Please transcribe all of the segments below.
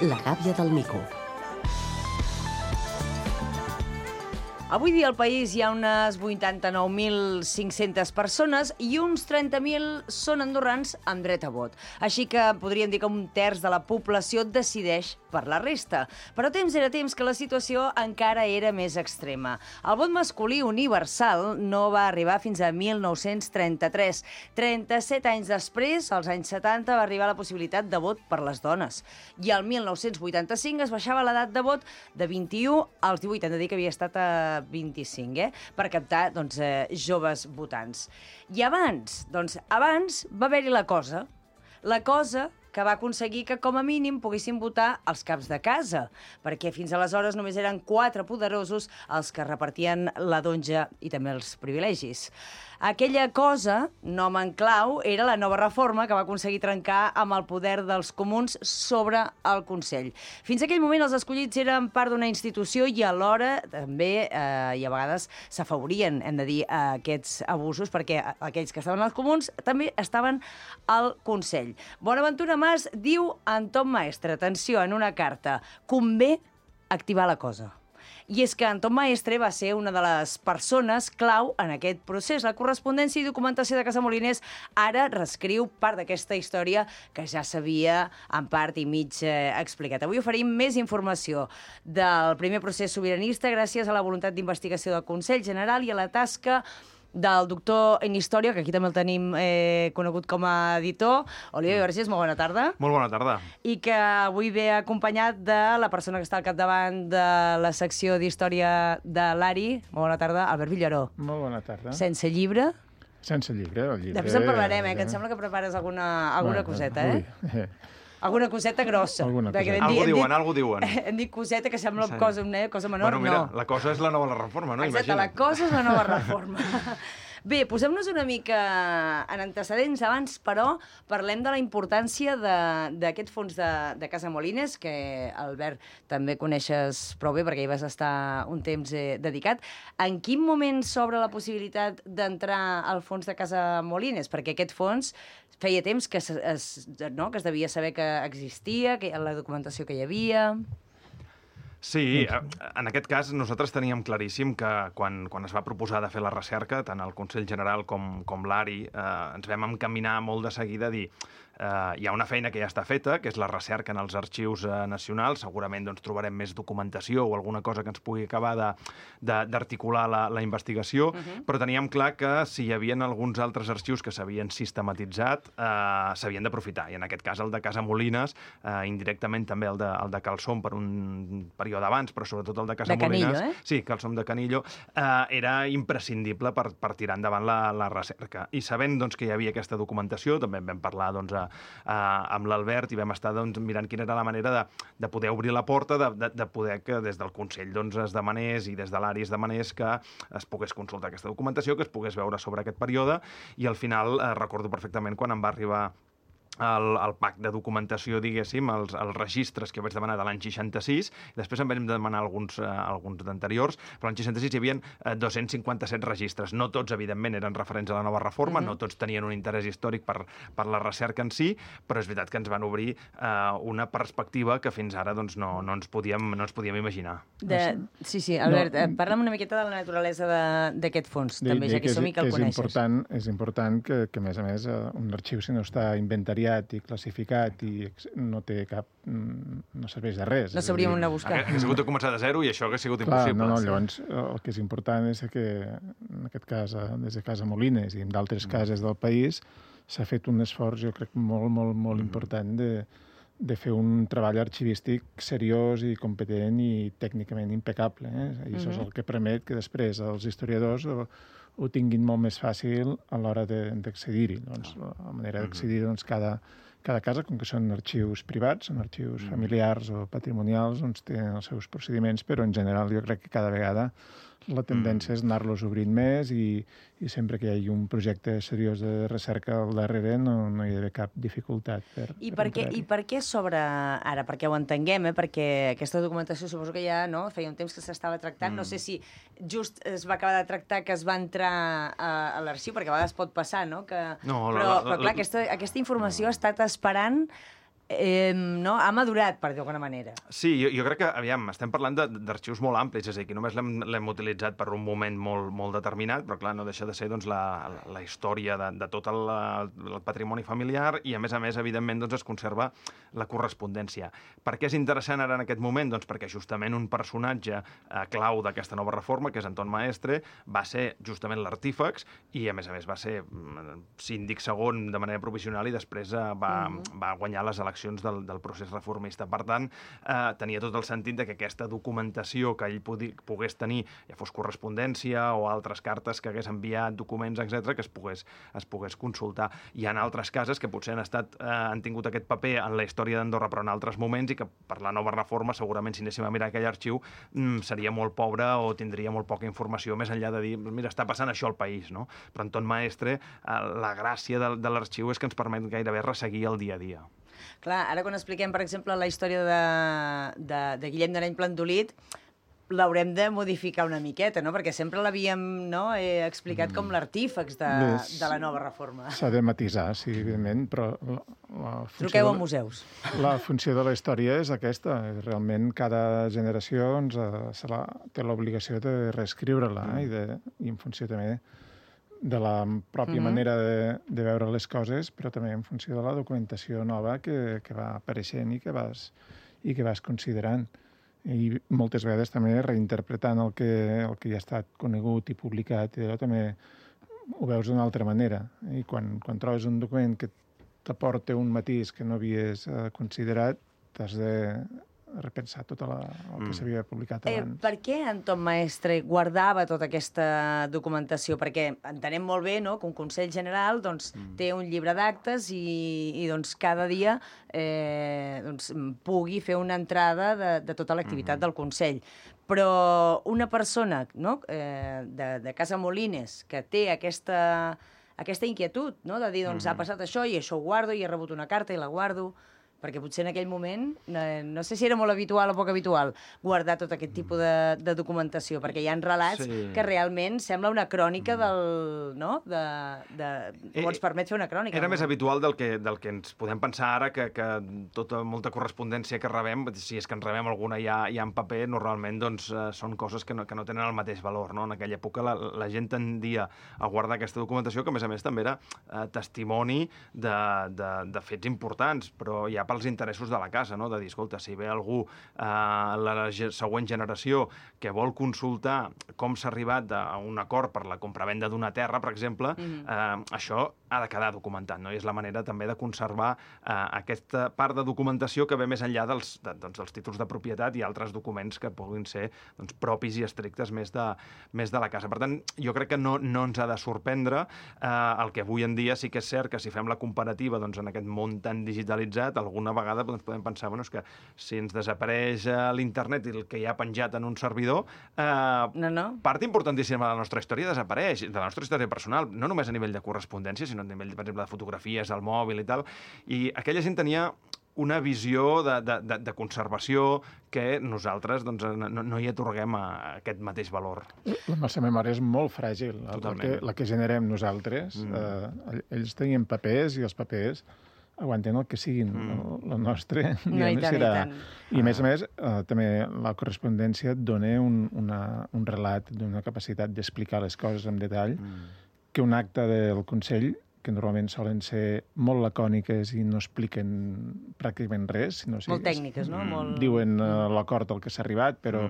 La gàbia del mico. Avui dia al país hi ha unes 89.500 persones i uns 30.000 són andorrans amb dret a vot. Així que podríem dir que un terç de la població decideix per la resta. Però temps era temps que la situació encara era més extrema. El vot masculí universal no va arribar fins a 1933. 37 anys després, als anys 70, va arribar la possibilitat de vot per les dones. I el 1985 es baixava l'edat de vot de 21 als 18. Hem de dir que havia estat a 25, per captar joves votants. I abans va haver-hi la cosa que va aconseguir que, com a mínim, poguessin votar els caps de casa, perquè fins aleshores només eren 4 poderosos els que repartien la donja i també els privilegis. Aquella cosa, nom en clau, era la nova reforma que va aconseguir trencar amb el poder dels comuns sobre el Consell. Fins a aquell moment els escollits eren part d'una institució i alhora també, i a vegades, s'afavorien, hem de dir, aquests abusos, perquè aquells que estaven als comuns també estaven al Consell. Bonaventura Mas diu en Tom Maestre, atenció, en una carta, convé activar la cosa. I és que en Tom Maestre va ser una de les persones clau en aquest procés. La correspondència i documentació de Casamolines ara reescriu part d'aquesta història que ja s'havia en part i mig explicat. Avui oferim més informació del primer procés sobiranista gràcies a la voluntat d'investigació del Consell General i a la tasca del doctor en història, que aquí també el tenim conegut com a editor, Oliver Vergés, molt bona tarda. Molt bona tarda. I que avui ve acompanyat de la persona que està al capdavant de la secció d'història de l'ARI. Molt bona tarda, Albert Villaró. Molt bona tarda. Sense llibre? Sense llibre, el llibre... Després en parlarem, que em sembla que prepares alguna coseta, Alguna coseta grossa. Algo diuen. Hem dit coseta que sembla cosa menor, bueno, mira, la cosa és la nova reforma, no? Exacte, la cosa és la nova reforma. Bé, posem-nos una mica en antecedents abans, però parlem de la importància d'aquest fons de Casamolines, que, Albert, també coneixes prou bé perquè hi vas estar un temps dedicat. En quin moment s'obre la possibilitat d'entrar al fons de Casamolines? Perquè aquest fons feia temps que es devia saber que existia, que la documentació que hi havia... Sí, en aquest cas nosaltres teníem claríssim que quan es va proposar de fer la recerca, tant el Consell General com l'ARI, ens vam encaminar molt de seguida a dir hi ha una feina que ja està feta, que és la recerca en els arxius nacionals, segurament trobarem més documentació o alguna cosa que ens pugui acabar d'articular la investigació, però teníem clar que si hi havia alguns altres arxius que s'havien sistematitzat, s'havien d'aprofitar, i en aquest cas el de Casamolines, indirectament també el de Calçom per un període abans, però sobretot el de Casamolines... De Canillo, Sí, Calçom de Canillo, era imprescindible per tirar endavant la recerca. I sabent que hi havia aquesta documentació, també en vam parlar amb l'Albert i vam estar mirant quina era la manera de poder obrir la porta, de poder que des del Consell es demanés i des de l'ARI es demanés que es pogués consultar aquesta documentació, que es pogués veure sobre aquest període, i al final recordo perfectament quan em va arribar el pack de documentació, diguéssim, els registres que vaig demanar de l'any 66, després en vam demanar alguns d'anteriors, però l'any 66 hi havia 257 registres. No tots, evidentment, eren referents a la nova reforma, no tots tenien un interès històric per la recerca en si, però és veritat que ens van obrir una perspectiva que fins ara no ens podíem imaginar. Sí, Albert, parla'm una miqueta de la naturalesa d'aquest fons, també, ja que som i que el coneixes. És important que, a més, un arxiu, si no està inventariat i classificat i no té cap... no serveix de res. No sabríem on anar a buscar. Hauria sigut de començar de zero i això hauria sigut impossible. Llavors, el que és important és que, en aquest cas, des de Casamolines i en d'altres cases del país, s'ha fet un esforç, jo crec, molt important de fer un treball arxivístic seriós i competent i tècnicament impecable. I això és el que permet que després els historiadors ho tinguin molt més fàcil a l'hora d'accedir-hi. La manera d'accedir, cada casa, com que són arxius privats, són arxius familiars o patrimonials, tenen els seus procediments, però en general jo crec que cada vegada la tendència és anar-los obrint més i sempre que hi hagi un projecte seriós de recerca al darrere no hi ha d'haver cap dificultat. I per què s'obre ara? Perquè ho entenguem, perquè aquesta documentació suposo que ja feia un temps que s'estava tractant. No sé si just es va acabar de tractar que es va entrar a l'arxiu, perquè a vegades pot passar, no? Però clar, aquesta informació ha estat esperant no? Ha madurat, per dir d'alguna manera. Sí, jo crec que, aviam, estem parlant d'arxius molt amplis, és a dir, que només l'hem utilitzat per un moment molt determinat, però clar, no deixa de ser doncs, la història de tot el patrimoni familiar i, a més, evidentment, doncs, es conserva la correspondència. Per què és interessant ara en aquest moment? Doncs perquè justament un personatge clau d'aquesta nova reforma, que és Anton Maestre, va ser justament l'artífex i, a més, va ser síndic segon de manera provisional i després va guanyar les eleccions del procés reformista. Per tant, tenia tot el sentit de que aquesta documentació que ell pogués tenir, ja fos correspondència o altres cartes que hagués enviat, documents, etc., que es pogués consultar. Hi ha altres cases que potser han tingut aquest paper en la història d'Andorra, però en altres moments, i que per la nova reforma, segurament, si anéssim a mirar aquell arxiu, seria molt pobre o tindria molt poca informació, més enllà de dir, mira, està passant això al país, no? Però Anton Maestre, la gràcia de l'arxiu és que ens permet gairebé resseguir el dia a dia. Clar, ara quan expliquem, per exemple, la història de Guillem d'Areny Plandolit, l'haurem de modificar una miqueta, no? Perquè sempre l'havíem explicat com l'artífex de la nova reforma. S'ha de matisar, sí, evidentment, però... Truqueu a museus. La funció de la història és aquesta. Realment, cada generació té l'obligació de reescriure-la i en funció també de la pròpia manera de veure les coses, però també en funció de la documentació nova que va apareixent i que vas considerant. I moltes vegades també reinterpretant el que ja ha estat conegut i publicat, i també ho veus d'una altra manera. I quan trobes un document que t'aporta un matís que no havies considerat, t'has de repensar tot el que s'havia publicat abans. Per què Anton Maestre guardava tota aquesta documentació? Perquè entenem molt bé, no?, que un Consell General té un llibre d'actes i cada dia pugui fer una entrada de tota l'activitat del Consell. Però una persona, no?, de Casa Molines que té aquesta inquietud, no?, de dir, ha passat això i això ho guardo i he rebut una carta i la guardo, perquè potser en aquell moment, no sé si era molt habitual o poc habitual, guardar tot aquest tipus de documentació, perquè hi ha relats que realment sembla una crònica o ens permet fer una crònica. Era més habitual del que ens podem pensar ara, que molta correspondència que rebem, si és que en rebem alguna ja en paper, normalment són coses que no tenen el mateix valor. En aquella època la gent tendia a guardar aquesta documentació, que a més també era testimoni de fets importants, però ja pels interessos de la casa, no? De dir, escolta, si ve algú la següent generació que vol consultar com s'ha arribat a un acord per la compravenda d'una terra, per exemple, això ha de quedar documentat, no? I és la manera també de conservar aquesta part de documentació que ve més enllà dels títols de propietat i altres documents que puguin ser propis i estrictes més de la casa. Per tant, jo crec que no ens ha de sorprendre el que avui en dia sí que és cert que si fem la comparativa en aquest món tan digitalitzat, alguna vegada podem pensar és que si ens desapareix l'internet i el que hi ha penjat en un servidor, part importantíssima de la nostra història desapareix, de la nostra història personal, no només a nivell de correspondència, sinó a nivell, per exemple, de fotografies, al mòbil i tal. I aquella gent tenia una visió de conservació que nosaltres no hi atorguem aquest mateix valor. La nostra memòria és molt fràgil. La que generem nosaltres, ells tenien papers i els papers aguanten el que siguin. La nostra serà... I, a més, també la correspondència et dona un relat d'una capacitat d'explicar les coses en detall que un acte del Consell, que normalment solen ser molt lacòniques i no expliquen pràcticament res. Molt tècniques, no? Diuen l'acord al que s'ha arribat, però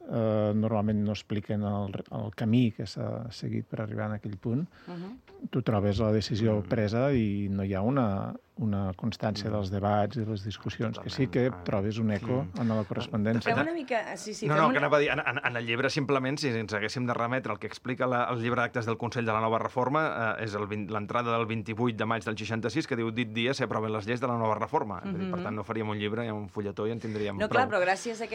normalment no expliquen el camí que s'ha seguit per arribar a aquell punt. Tu trobes la decisió presa i no hi ha una constància dels debats i les discussions, que sí que trobes un eco en la correspondència. Fem una mica... que anava a dir, en el llibre, simplement, si ens haguéssim de remetre el que explica el llibre d'actes del Consell de la Nova Reforma, és l'entrada del 28 de maig del 66, que diu, dit dia s'aproven les lleis de la Nova Reforma. Per tant, no faríem un llibre, un fulletó i en tindríem prou. No, clar, però gràcies a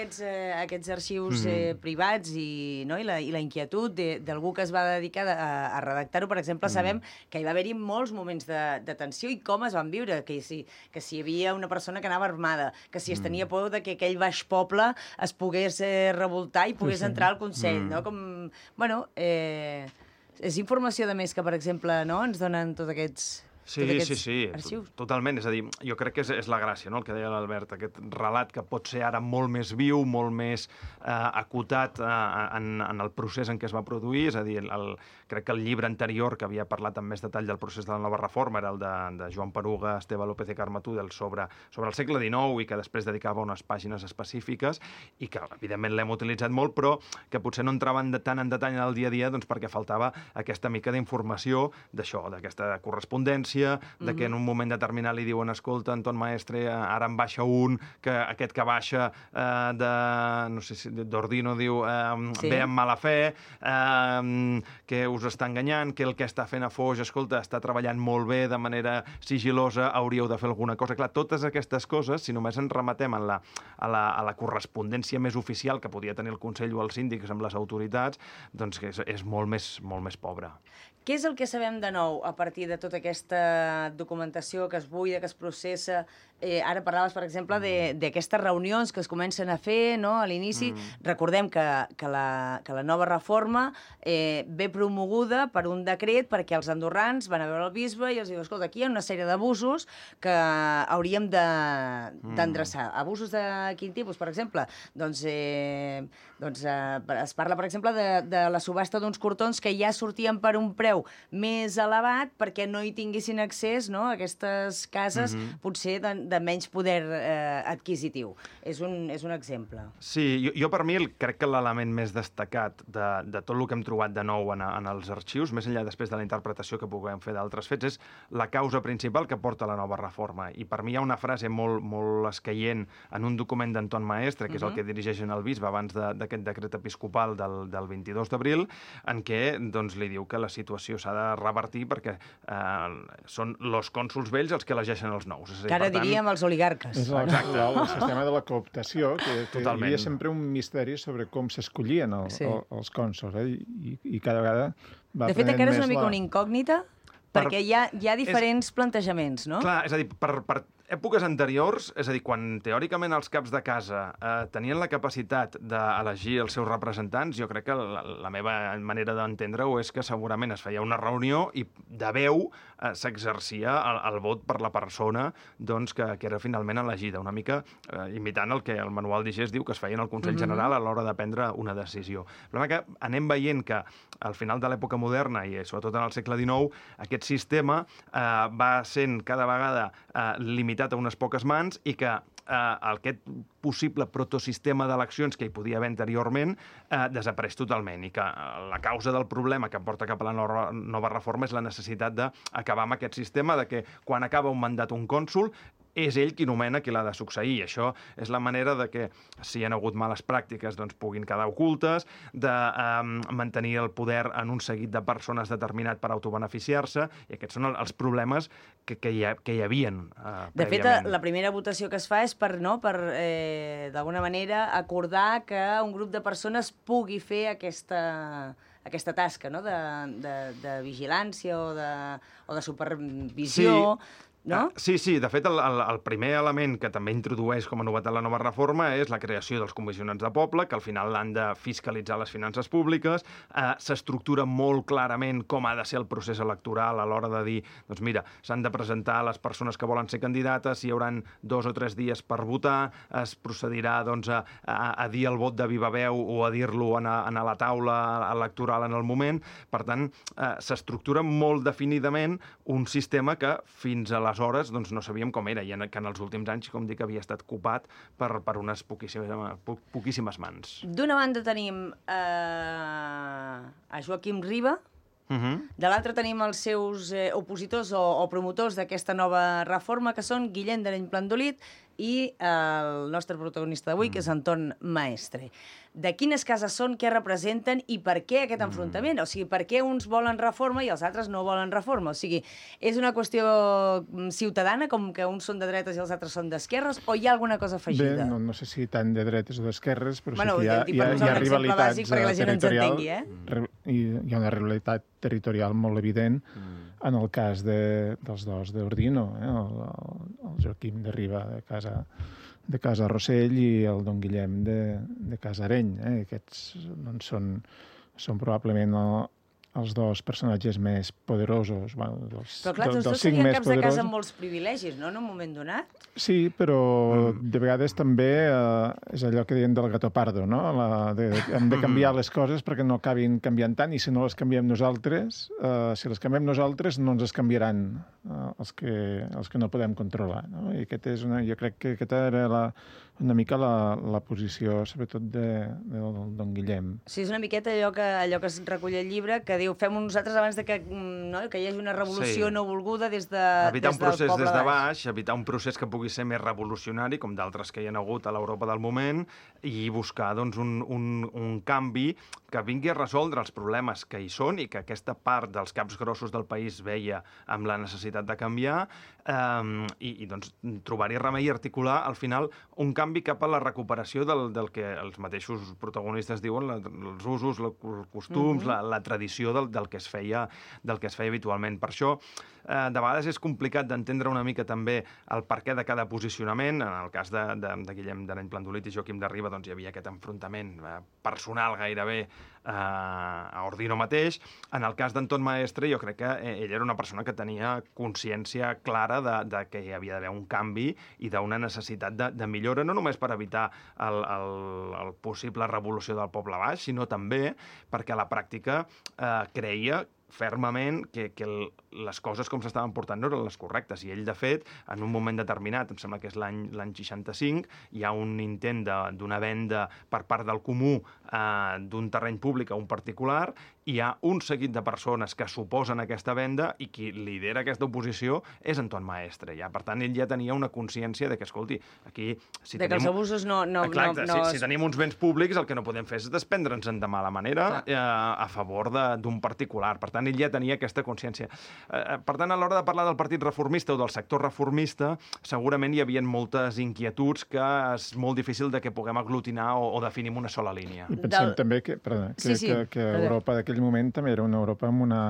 aquests arxius privats i la inquietud d'algú que es va dedicar a redactar-ho, per exemple, sabem que hi va haver-hi molts moments de tensió i com es van viure, que si hi havia una persona que anava armada, que si es tenia por de que aquell baix poble es pogués revoltar i pogués entrar al Consell, no? És informació de més que, per exemple, ens donen tots aquests Tots aquests arxius. Totalment. És a dir, jo crec que és la gràcia, no?, el que deia l'Albert, aquest relat que pot ser ara molt més viu, molt més acotat en el procés en què es va produir. És a dir, crec que el llibre anterior, que havia parlat amb més detall del procés de la nova reforma, era el de Joan Peruga, Esteve López i Carme Tudel sobre el segle XIX i que després dedicava unes pàgines específiques i que, evidentment, l'hem utilitzat molt, però que potser no entraven tant en detall en el dia a dia doncs perquè faltava aquesta mica d'informació d'això, d'aquesta correspondència, de que en un moment determinat li diuen escolta, Anton Maestre, ara en baixa un, que aquest que baixa no sé si d'Ordino diu ve amb mala fe, que us està enganyant, que el que està fent a Foix, escolta, està treballant molt bé de manera sigilosa, hauríeu de fer alguna cosa. Clar, totes aquestes coses, si només ens rematem a la correspondència més oficial que podia tenir el Consell o els síndics amb les autoritats, doncs que és molt més pobra. Què és el que sabem de nou a partir de tota aquesta documentació que es buida, que es processa? Ara parlaves, per exemple, d'aquestes reunions que es comencen a fer, no?, a l'inici. Recordem que la nova reforma ve promoguda per un decret perquè els andorrans van a veure el bisbe i els diu, escolta, aquí hi ha una sèrie d'abusos que hauríem d'endreçar. Abusos de quin tipus, per exemple? Doncs es parla, per exemple, de la subhasta d'uns cortons que ja sortien per un preu més elevat perquè no hi tinguessin accés, no?, a aquestes cases potser de menys poder adquisitiu. És un exemple. Sí, jo per mi crec que l'element més destacat de tot el que hem trobat de nou en els arxius, més enllà després de la interpretació que puguem fer d'altres fets, és la causa principal que porta la nova reforma. I per mi hi ha una frase molt escaient en un document d'Anton Maestre, que és el que dirigeixen el bisbe abans d'aquest decret episcopal del 22 d'abril, en què doncs, li diu que la situació s'ha de revertir perquè són els cònsols vells els que elegeixen els nous. Que ara diríem els oligarques. És el sistema de la cooptació, que hi havia sempre un misteri sobre com s'escollien els cònsols, i cada vegada va de fet, encara és una mica una incògnita, perquè hi ha diferents plantejaments, no? Clar, és a dir, per èpoques anteriors, és a dir, quan teòricament els caps de casa tenien la capacitat d'elegir els seus representants, jo crec que la meva manera d'entendre-ho és que segurament es feia una reunió i de veu s'exercia el vot per la persona doncs, que era finalment elegida, una mica imitant el que el manual d'Igés diu que es feia en el Consell General a l'hora de prendre una decisió. El problema que anem veient que al final de l'època moderna i sobretot en el segle XIX aquest sistema va sent cada vegada limitat a unes poques mans i que aquest possible protosistema d'eleccions que hi podia haver anteriorment desapareix totalment i que la causa del problema que porta cap a la nova reforma és la necessitat d'acabar amb aquest sistema de que quan acaba un mandat un cònsol és ell qui nomena qui l'ha de succeir. Això és la manera de que, si hi ha hagut males pràctiques, doncs puguin quedar ocultes, de mantenir el poder en un seguit de persones determinat per autobeneficiar-se, i aquests són els problemes que hi havien prèviament. De fet, la primera votació que es fa és per d'alguna manera, acordar que un grup de persones pugui fer aquesta tasca, no?, de vigilància o de supervisió. Sí. No? Sí, de fet, el primer element que també introdueix com a novetat la nova reforma és la creació dels comissionats de poble, que al final han de fiscalitzar les finances públiques, s'estructura molt clarament com ha de ser el procés electoral a l'hora de dir, doncs mira, s'han de presentar les persones que volen ser candidates, hi haurà 2 o 3 dies per votar, es procedirà doncs, a dir el vot de viva veu o a dir-lo a la taula electoral en el moment. Per tant, s'estructura molt definidament un sistema que fins aleshores doncs, no sabíem com era, i que en els últims anys, com dic, havia estat copat per unes poquíssimes mans. D'una banda tenim a Joaquim Riba, de l'altra tenim els seus opositors o promotors d'aquesta nova reforma, que són Guillem d'Areny-Plandolit i el nostre protagonista d'avui, que és Anton Maestre. De quines cases són, què representen i per què aquest enfrontament? O sigui, per què uns volen reforma i els altres no volen reforma? O sigui, és una qüestió ciutadana, com que uns són de dretes i els altres són d'esquerres, o hi ha alguna cosa afegida? Bé, no sé si tant de dretes o d'esquerres, però sí que hi ha rivalitats territorials. Hi ha una rivalitat territorial molt evident en el cas dels dos d'Ordino, el Joaquim de Riba de Casa Rossell i el don Guillem de Casa Areny. Aquests doncs, són probablement els dos personatges més poderosos, bueno, Però clar, tots dos cinc serien més caps de casa poderosos. amb molts privilegis, no?, en un moment donat. Sí, però de vegades també és allò que diuen del gato pardo, no? Hem de canviar les coses perquè no acabin canviant tant, i si no les canviem nosaltres, si les canviem nosaltres no ens les canviaran els que no podem controlar, no? I jo crec que aquesta era una mica la posició, sobretot, de don Guillem. Sí, és una miqueta allò que es recull al llibre, que diu, fem-ho nosaltres abans de que hi hagi una revolució no volguda des del evitar un procés poble des de baix, evitar un procés que pugui ser més revolucionari, com d'altres que hi ha hagut a l'Europa del moment, i buscar doncs, un canvi que vingui a resoldre els problemes que hi són i que aquesta part dels caps grossos del país veia amb la necessitat de canviar, i doncs, trobar-hi remei i articular, al final, un canvi cap a la recuperació del que els mateixos protagonistes diuen, els usos, els costums, la tradició del que es feia habitualment. Per això, de vegades és complicat d'entendre una mica també el perquè de cada posicionament. En el cas de Guillem d'Areny Plandolit i Joaquim de Riba, doncs hi havia aquest enfrontament personal gairebé a Ordino mateix. En el cas d'Anton Maestre, jo crec que ell era una persona que tenia consciència clara de que hi havia d'haver un canvi i d'una necessitat de millora, no només per evitar el possible revolució del poble baix, sinó també perquè a la pràctica creia fermament que les coses com s'estaven portant no eren les correctes. I ell, de fet, en un moment determinat, em sembla que és l'any 65, hi ha un intent d'una venda per part del comú d'un terreny públic a un particular, hi ha un seguit de persones que s'oposen a aquesta venda i qui lidera aquesta oposició és Anton Maestre. Ja. Per tant, ell ja tenia una consciència de que, escolti, aquí... que els abusos no... Exacte, si tenim uns béns públics, el que no podem fer és desprendre'ns de mala manera a favor d'un particular. Per tant, ell ja tenia aquesta consciència. Per tant, a l'hora de parlar del Partit Reformista o del sector reformista, segurament hi havia moltes inquietuds que és molt difícil de que puguem aglutinar o definir en una sola línia. I pensem també que Europa d'aquell moment també era una Europa amb una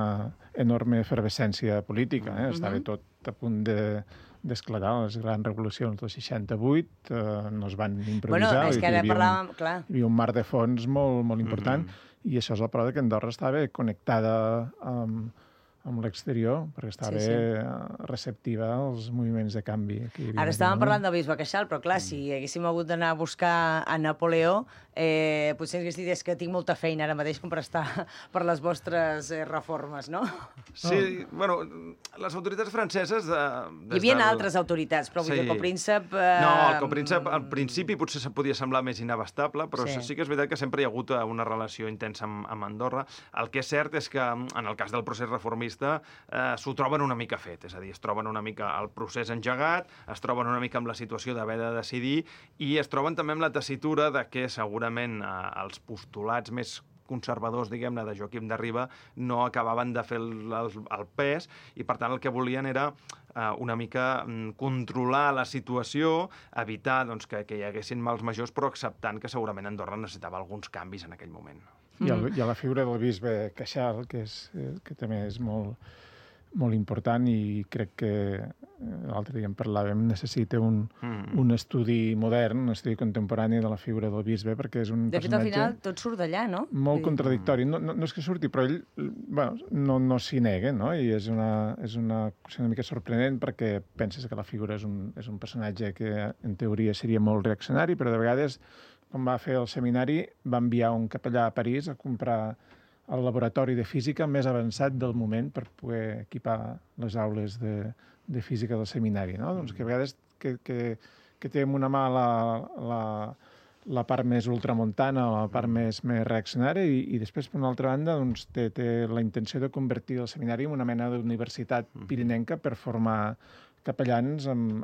enorme efervescència política. Estava tot a punt d'esclatar les grans revolucions del 68, no es van improvisar. Bueno, és que ara parlàvem, clar. Hi havia un mar de fons molt important, i això és la prova que Andorra estava connectada amb l'exterior, perquè estava receptiva als moviments de canvi. Ara estàvem parlant del bisbe Queixal, però clar, si haguéssim hagut d'anar a buscar a Napoleó, potser hagués dit que tinc molta feina ara mateix com per estar per les vostres reformes, no? Sí, bueno, les autoritats franceses... Hi havia altres autoritats, però vull dir que el príncep... No, el príncep al principi potser se podia semblar més inabastable, però sí que és veritat que sempre hi ha hagut una relació intensa amb Andorra. El que és cert és que, en el cas del procés reformista, s'ho troben una mica fet, és a dir, es troben una mica el procés engegat, es troben una mica amb la situació d'haver de decidir i es troben també amb la tessitura de que segurament els postulats més conservadors, diguem-ne, de Joaquim de Riba no acabaven de fer el pes i, per tant, el que volien era una mica controlar la situació, evitar doncs, que hi haguessin mals majors, però acceptant que segurament Andorra necessitava alguns canvis en aquell moment. Hi ha la figura del bisbe Queixal, que també és molt important i crec que l'altre dia en parlàvem, necessita un estudi modern, un estudi contemporani de la figura del bisbe, perquè és un personatge... De fet, al final, tot surt d'allà, no? Molt contradictori. No és que surti, però ell no s'hi nega, no? I és una mica sorprenent perquè penses que la figura és un personatge que en teoria seria molt reaccionari, però de vegades, quan va fer el seminari, va enviar un capellà a París a comprar el laboratori de física més avançat del moment per poder equipar les aules de física del seminari, no? Doncs que a vegades que té en una mà la part més ultramontana o la part més reaccionària i després, per una altra banda, doncs, té la intenció de convertir el seminari en una mena d'universitat pirinenca per formar capellans amb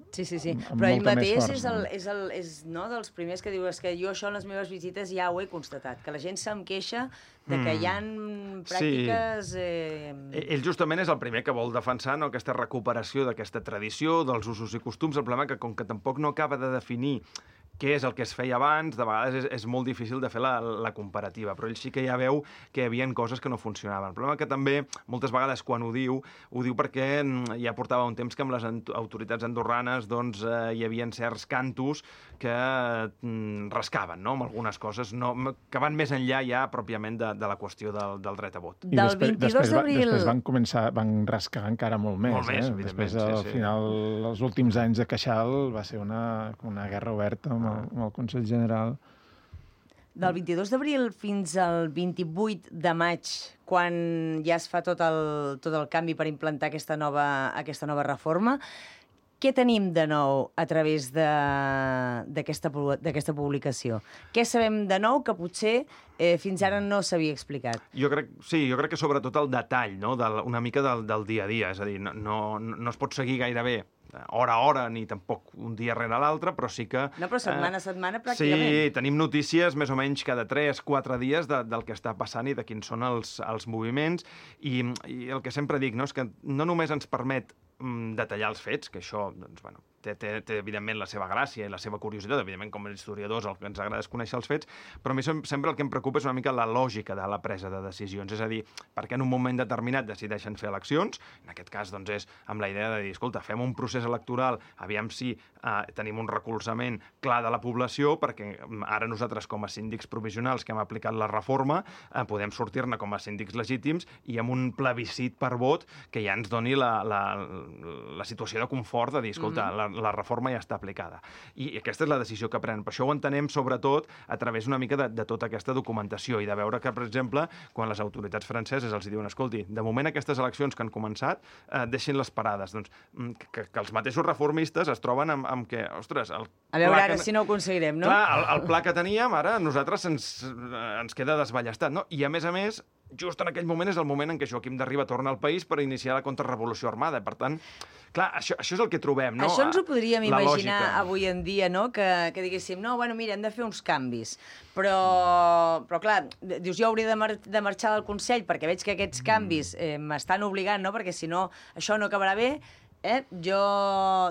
Sí. amb Però ell molta més mateix força. és dels primers que diu que jo això en les meves visites ja ho he constatat, que la gent se'm queixa de que hi ha pràctiques... Ell justament és el primer que vol defensar aquesta recuperació d'aquesta tradició, dels usos i costums. El problema que, com que tampoc no acaba de definir què és el que es feia abans, de vegades és molt difícil de fer la comparativa, però ell sí que ja veu que hi havia coses que no funcionaven. El problema que també, moltes vegades quan ho diu perquè ja portava un temps que amb les autoritats andorranes doncs, hi havia certs cantos que rascaven, no?, amb algunes coses que van més enllà ja pròpiament de la qüestió del dret a vot. I Del 22 d'abril... Després van rascar encara molt més. Molt més, evidentment. Després, al final, els últims anys de Queixal va ser una guerra oberta amb el Consell General. Del 22 d'abril fins al 28 de maig, quan ja es fa tot el canvi per implantar aquesta nova reforma, què tenim de nou a través d'aquesta publicació? Què sabem de nou que potser fins ara no s'havia explicat? Jo crec que sobretot el detall, no?, una mica del dia a dia, és a dir, no es pot seguir gairebé hora a hora, ni tampoc un dia rere l'altre, però sí que... No, però setmana a setmana, pràcticament. Sí, tenim notícies més o menys cada 3-4 dies del que està passant i de quins són els moviments, i el que sempre dic, no?, és que no només ens permet detallar els fets, que això, doncs, bueno, té evidentment la seva gràcia i la seva curiositat, evidentment com a historiadors el que ens agrada és conèixer els fets, però a mi sempre el que em preocupa és una mica la lògica de la presa de decisions, és a dir, perquè en un moment determinat decideixen fer eleccions, en aquest cas doncs és amb la idea de dir, escolta, fem un procés electoral, aviam si tenim un recolzament clar de la població, perquè ara nosaltres com a síndics provisionals que hem aplicat la reforma podem sortir-ne com a síndics legítims i amb un plebiscit per vot que ja ens doni la situació de confort de dir, escolta, la reforma ja està aplicada. I aquesta és la decisió que prenen. Per això ho entenem, sobretot, a través una mica de tota aquesta documentació i de veure que, per exemple, quan les autoritats franceses els diuen, escolti, de moment aquestes eleccions que han començat, deixin-les parades. Doncs que els mateixos reformistes es troben amb que, ostres... A veure ara si no ho aconseguirem, no? Clar, el pla que teníem, ara, a nosaltres ens queda desballestat, no? I, a més, just en aquell moment és el moment en què Joaquim de Riba torna al país per iniciar la contrarrevolució armada. Per tant, clar, això és el que trobem, no? Això ens ho podríem imaginar avui en dia, no? Que diguéssim, no, bueno, mira, hem de fer uns canvis. Però clar, dius, jo hauria de marxar del Consell perquè veig que aquests canvis m'estan obligant, no? Perquè si no, això no acabarà bé. Jo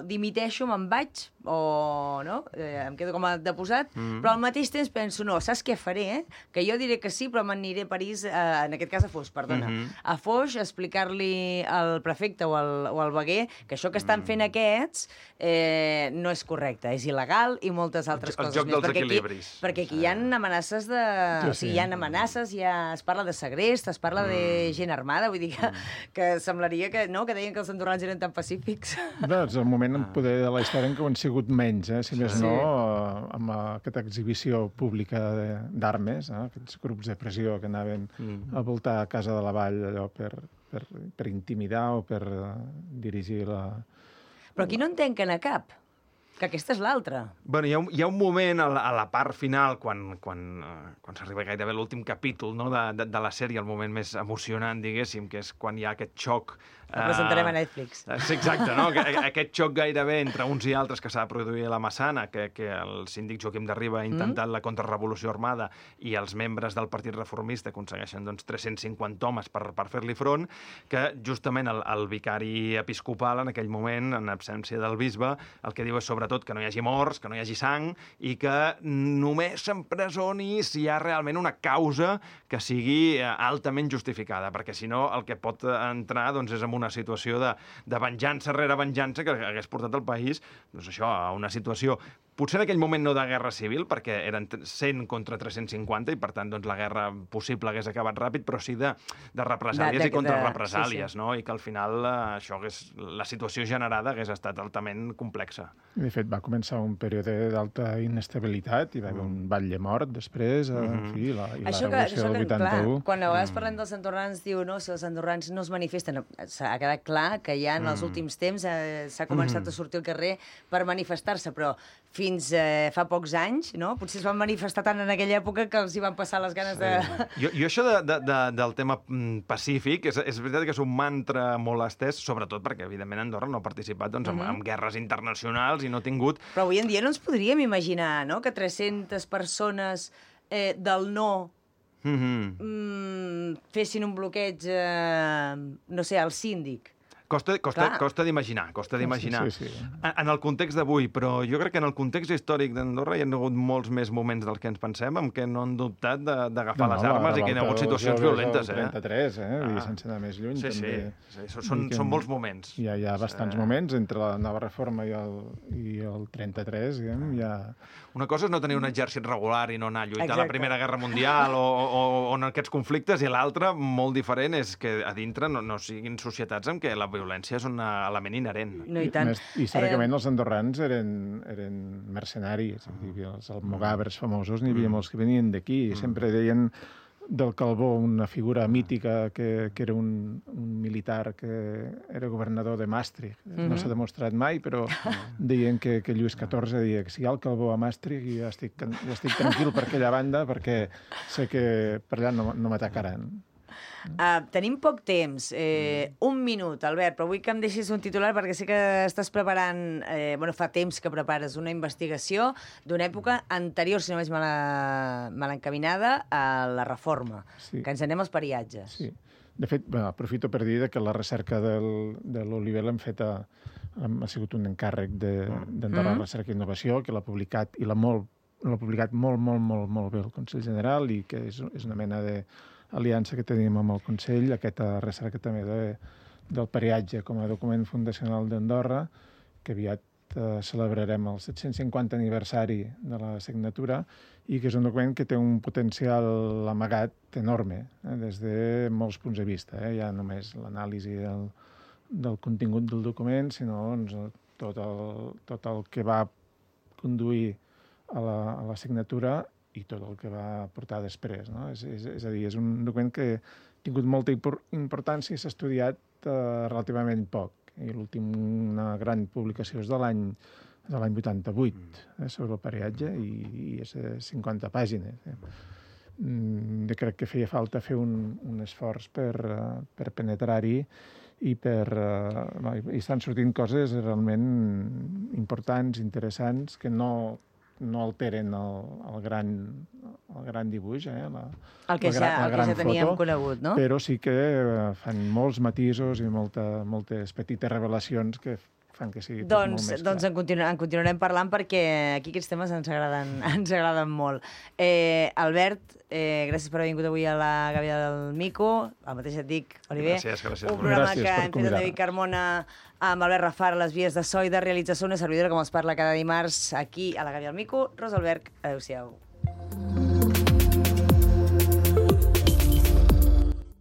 dimiteixo, me'n vaig, o no? Em quedo com a deposat, però al mateix temps penso, no, saps què faré? Que jo diré que sí, però m'aniré a París, en aquest cas a Foix, perdona, a Foix, a explicar-li al prefecte o al veguer que això que estan fent aquests no és correcte, és il·legal i moltes altres coses més. El joc dels equilibris. Perquè aquí hi ha amenaces de... O sigui, hi ha amenaces, es parla de segrest, es parla de gent armada, vull dir que semblaria que deien que els andorrans eren tan pacífics. És el moment poder de la història en què ho han sigut menys, si més no, amb aquesta exhibició pública d'armes, aquests grups de pressió que anaven a voltar a Casa de la Vall allò per intimidar o per dirigir la... Però aquí no en tanquen a cap, que aquesta és l'altra. Bueno, hi ha un moment a la part final, quan s'arriba gairebé l'últim capítol, no, de la sèrie, el moment més emocionant, diguéssim, que és quan hi ha aquest xoc... El presentarem a Netflix. Sí, exacte, no? Aquest xoc gairebé entre uns i altres que s'ha de produir a la Massana, que el síndic Joaquim de Riba ha intentat la contrarrevolució armada i els membres del Partit Reformista aconsegueixen 350 homes per fer-li front, que justament el vicari episcopal en aquell moment, en absència del bisbe, el que diu és sobretot que no hi hagi morts, que no hi hagi sang i que només s'empresoni si hi ha realment una causa que sigui altament justificada, perquè si no el que pot entrar és en una situació de venjança rere venjança que hagués portat el país a una situació potser en aquell moment no de guerra civil, perquè eren 100 contra 350 i, per tant, la guerra possible hagués acabat ràpid, però sí de represàlies i contrarrepresàlies, no? I que al final la situació generada hagués estat altament complexa. De fet, va començar un període d'alta inestabilitat, hi va haver un batlle mort després, en fi, i la revolució del 81. Clar, quan a vegades parlem dels andorrans, diu, no, si els andorrans no es manifesten, ha quedat clar que ja en els últims temps s'ha començat a sortir al carrer per manifestar-se, però fins fa pocs anys, no? Potser es van manifestar tant en aquella època que els hi van passar les ganes de... Jo això del tema pacífic, és veritat que és un mantra molt estès, sobretot perquè, evidentment, Andorra no ha participat en guerres internacionals i no ha tingut... Però avui en dia no ens podríem imaginar, no?, que 300 persones del no fessin un bloqueig, no sé, al síndic. Costa d'imaginar, Sí. En el context d'avui, però jo crec que en el context històric d'Andorra hi ha hagut molts més moments dels que ens pensem en què no han dubtat d'agafar les armes i que hi ha hagut situacions violentes. El 33, sense anar més lluny. Sí. Són molts moments. Hi ha bastants moments entre la nova reforma i el 33, diguem, hi ha... Una cosa és no tenir un exèrcit regular i no anar a lluitar a la Primera Guerra Mundial o en aquests conflictes, i l'altra, molt diferent, és que a dintre no siguin societats en què la violència és un element inherent. No, i tant. Històricament els andorrans eren mercenaris, els almogàvers famosos, n'hi havia molts que venien d'aquí, i sempre deien del Calbó, una figura mítica que era un militar que era governador de Maastricht. No s'ha demostrat mai, però deien que Lluís XIV deia que si hi ha el Calbó a Maastricht jo ja estic tranquil per aquella banda perquè sé que per allà no m'atacaran. Tenim poc temps, 1 minut, Albert, però vull que em deixis un titular perquè sé que estàs preparant, fa temps que prepares una investigació d'una època anterior, si no vaig mal encaminada, a la reforma, que ens anem als periatges. Sí. De fet, aprofito per dir que la recerca de l'Oliver l'hem fet ha sigut un encàrrec d'Andorra Recerca i Innovació, que l'ha publicat i l'ha publicat molt bé el Consell General i que és una mena d'aliança que tenim amb el Consell, aquesta recerca també del periatge com a document fundacional d'Andorra, que aviat celebrarem el 750 aniversari de la signatura i que és un document que té un potencial amagat enorme, des de molts punts de vista. Ja només l'anàlisi del contingut del document, sinó tot el que va conduir a la signatura i tot el que va portar després. No? És a dir, és un document que ha tingut molta importància i s'ha estudiat relativament poc. I l'última gran publicació és de l'any 88, sobre el periatge, i és 50 pàgines. Jo crec que feia falta fer un esforç per penetrar-hi i estan sortint coses realment importants, interessants, que no alteren el gran dibuix, el que ja teníem conegut, no? Però sí que fan molts matisos i moltes petites revelacions que fan que sigui tot molt més clar. Doncs en continuarem parlant perquè aquí aquests temes ens agraden molt. Albert, gràcies per haver vingut avui a la Gàbia del Mico. El mateix et dic, Oliver. Gràcies. Un programa que hem fet amb David Carmona, amb Albert Rafar, les vies de so i de realització, una servidora com els parla cada dimarts aquí a la Gàbia del Mico. Rosa Alberg, adéu-siau.